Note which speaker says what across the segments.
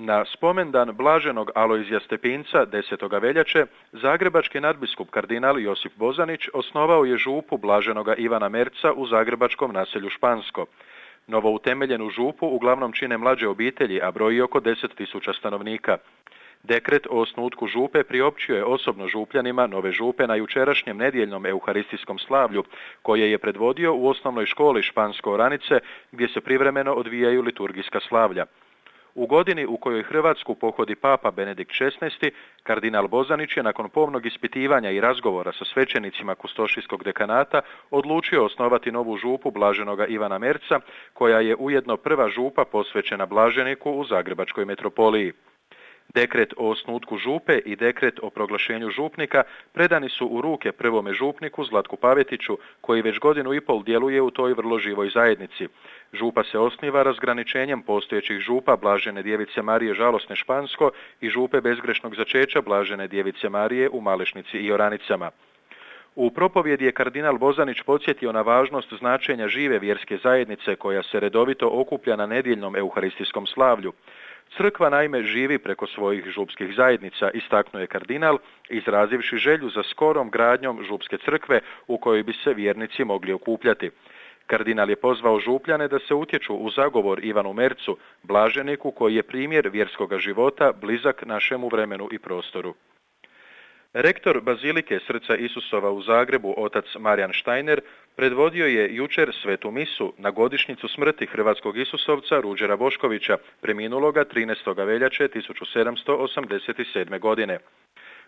Speaker 1: Na spomendan blaženog Alojzija Stepinca 10. veljače zagrebački nadbiskup kardinal Josip Bozanić osnovao je župu blaženoga Ivana Merca u zagrebačkom naselju Špansko. Novoutemeljenu župu uglavnom čine mlađe obitelji, a broji oko 10.000 stanovnika. Dekret o osnutku župe priopćio je osobno župljanima nove župe na jučerašnjem nedjeljnom euharistijskom slavlju, koje je predvodio u osnovnoj školi Špansko-Oranice, gdje se privremeno odvijaju liturgijska slavlja. U godini u kojoj Hrvatsku pohodi Papa Benedikt XVI, kardinal Bozanić je nakon pomnog ispitivanja i razgovora sa svećenicima kustošijskog dekanata odlučio osnovati novu župu blaženoga Ivana Merca, koja je ujedno prva župa posvećena blaženiku u Zagrebačkoj metropoliji. Dekret o osnutku župe i dekret o proglašenju župnika predani su u ruke prvome župniku Zlatku Pavetiću, koji već 1,5 godinu djeluje u toj vrlo živoj zajednici. Župa se osniva razgraničenjem postojećih župa Blažene djevice Marije Žalosne Špansko i župe bezgrešnog začeća Blažene djevice Marije u Malešnici i Oranicama. U propovjedi je kardinal Bozanić podsjetio na važnost značenja žive vjerske zajednice koja se redovito okuplja na nedjeljnom euharistijskom slavlju. Crkva naime živi preko svojih župskih zajednica, istaknuo je kardinal, izrazivši želju za skorom gradnjom župske crkve u kojoj bi se vjernici mogli okupljati. Kardinal je pozvao župljane da se utječu u zagovor Ivanu Mercu, blaženiku koji je primjer vjerskoga života blizak našemu vremenu i prostoru. Rektor Bazilike Srca Isusova u Zagrebu, otac Marijan Štajner, predvodio je jučer svetu misu na godišnjicu smrti hrvatskog Isusovca Ruđera Boškovića, preminuloga 13. veljače 1787. godine.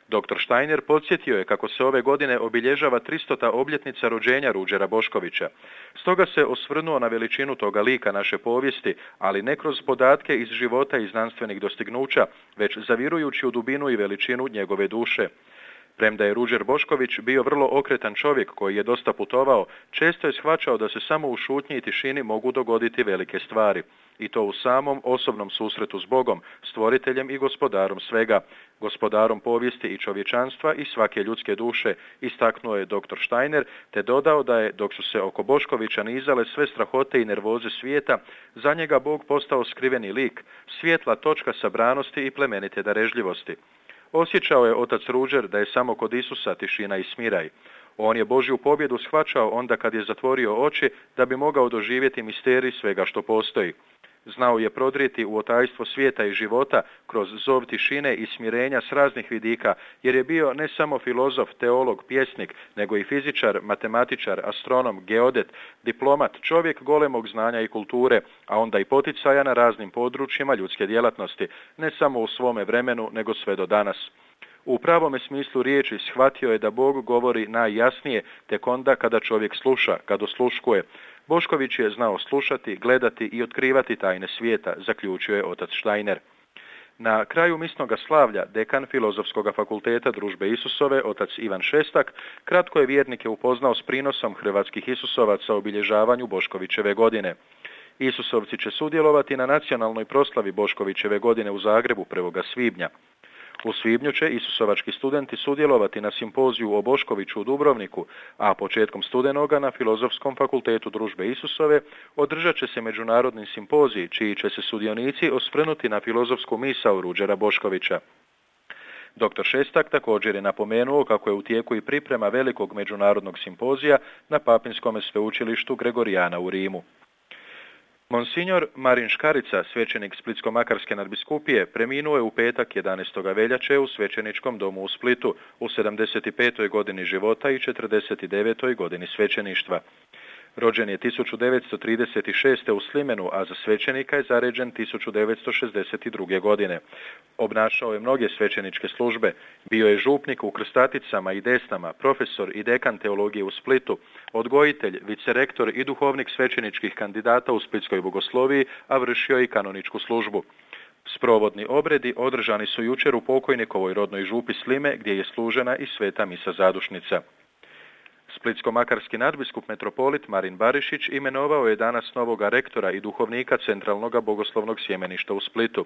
Speaker 1: Dr. Štajner podsjetio je kako se ove godine obilježava 300. obljetnica rođenja Ruđera Boškovića. Stoga se osvrnuo na veličinu toga lika naše povijesti, ali ne kroz podatke iz života i znanstvenih dostignuća, već zavirujući u dubinu i veličinu njegove duše. Premda je Ruđer Bošković bio vrlo okretan čovjek koji je dosta putovao, često je shvaćao da se samo u šutnji i tišini mogu dogoditi velike stvari. I to u samom osobnom susretu s Bogom, stvoriteljem i gospodarom svega, gospodarom povijesti i čovječanstva i svake ljudske duše, istaknuo je dr. Štajner, te dodao da je, dok su se oko Boškovića nizale sve strahote i nervoze svijeta, za njega Bog postao skriveni lik, svjetla točka sabranosti i plemenite darežljivosti. Osjećao je otac Ruđer da je samo kod Isusa tišina i smiraj. On je Božju pobjedu shvaćao onda kad je zatvorio oči da bi mogao doživjeti misterij svega što postoji. Znao je prodrijeti u otajstvo svijeta i života kroz zov tišine i smirenja s raznih vidika, jer je bio ne samo filozof, teolog, pjesnik, nego i fizičar, matematičar, astronom, geodet, diplomat, čovjek golemog znanja i kulture, a onda i poticaja na raznim područjima ljudske djelatnosti, ne samo u svome vremenu, nego sve do danas. U pravome smislu riječi shvatio je da Bog govori najjasnije tek onda kada čovjek sluša, kad osluškuje. Bošković je znao slušati, gledati i otkrivati tajne svijeta, zaključio je otac Štajner. Na kraju misnoga slavlja dekan Filozofskog fakulteta Družbe Isusove, otac Ivan Šestak, kratko je vjernike upoznao s prinosom hrvatskih Isusovaca obilježavanju Boškovićeve godine. Isusovci će sudjelovati na nacionalnoj proslavi Boškovićeve godine u Zagrebu 1. svibnja. U svibnju će isusovački studenti sudjelovati na simpoziju o Boškoviću u Dubrovniku, a početkom studenoga na Filozofskom fakultetu Družbe Isusove održat će se međunarodni simpozij, čiji će se sudionici osvrnuti na filozofsku misao Ruđera Boškovića. Dr. Šestak također je napomenuo kako je u tijeku i priprema velikog međunarodnog simpozija na Papinskom sveučilištu Gregorijana u Rimu. Monsignor Marin Škarica, svećenik Splitsko-makarske nadbiskupije, preminuo je u petak 11. veljače u svećeničkom domu u Splitu u 75. godini života i 49. godini svećeništva. Rođen je 1936. u Slimenu, a za svećenika je zaređen 1962. godine. Obnašao je mnoge svećeničke službe, bio je župnik u Krstaticama i Desnama, profesor i dekan teologije u Splitu, odgojitelj, vicerektor i duhovnik svećeničkih kandidata u Splitskoj bogosloviji, a vršio i kanoničku službu. Sprovodni obredi održani su jučer u pokojnikovoj rodnoj župi Slime, gdje je služena i sveta misa zadušnica. Splitsko-makarski nadbiskup metropolit Marin Barišić imenovao je danas novoga rektora i duhovnika Centralnog bogoslovnog sjemeništa u Splitu.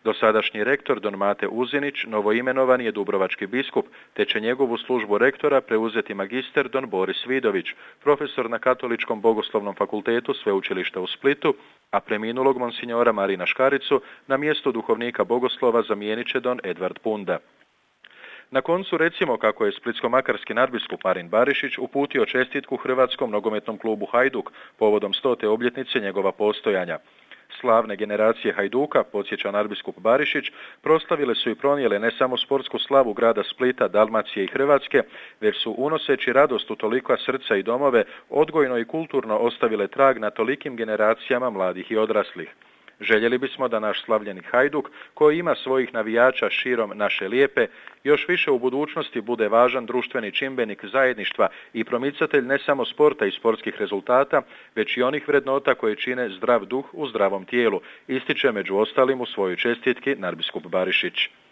Speaker 1: Dosadašnji rektor don Mate Uzinić novoimenovan je dubrovački biskup, te će njegovu službu rektora preuzeti magister don Boris Vidović, profesor na Katoličkom bogoslovnom fakultetu Sveučilišta u Splitu, a preminulog monsinjora Marina Škaricu na mjestu duhovnika bogoslova zamijenit će don Edvard Punda. Na koncu recimo kako je splitsko-makarski nadbiskup Marin Barišić uputio čestitku Hrvatskom nogometnom klubu Hajduk povodom 100. obljetnice njegova postojanja. Slavne generacije Hajduka, podsjeća nadbiskup Barišić, proslavile su i pronijele ne samo sportsku slavu grada Splita, Dalmacije i Hrvatske, već su unoseći radost u tolika srca i domove odgojno i kulturno ostavile trag na tolikim generacijama mladih i odraslih. Željeli bismo da naš slavljeni Hajduk, koji ima svojih navijača širom naše lijepe, još više u budućnosti bude važan društveni čimbenik zajedništva i promicatelj ne samo sporta i sportskih rezultata, već i onih vrednota koje čine zdrav duh u zdravom tijelu, ističe među ostalim u svojoj čestitki nadbiskup Barišić.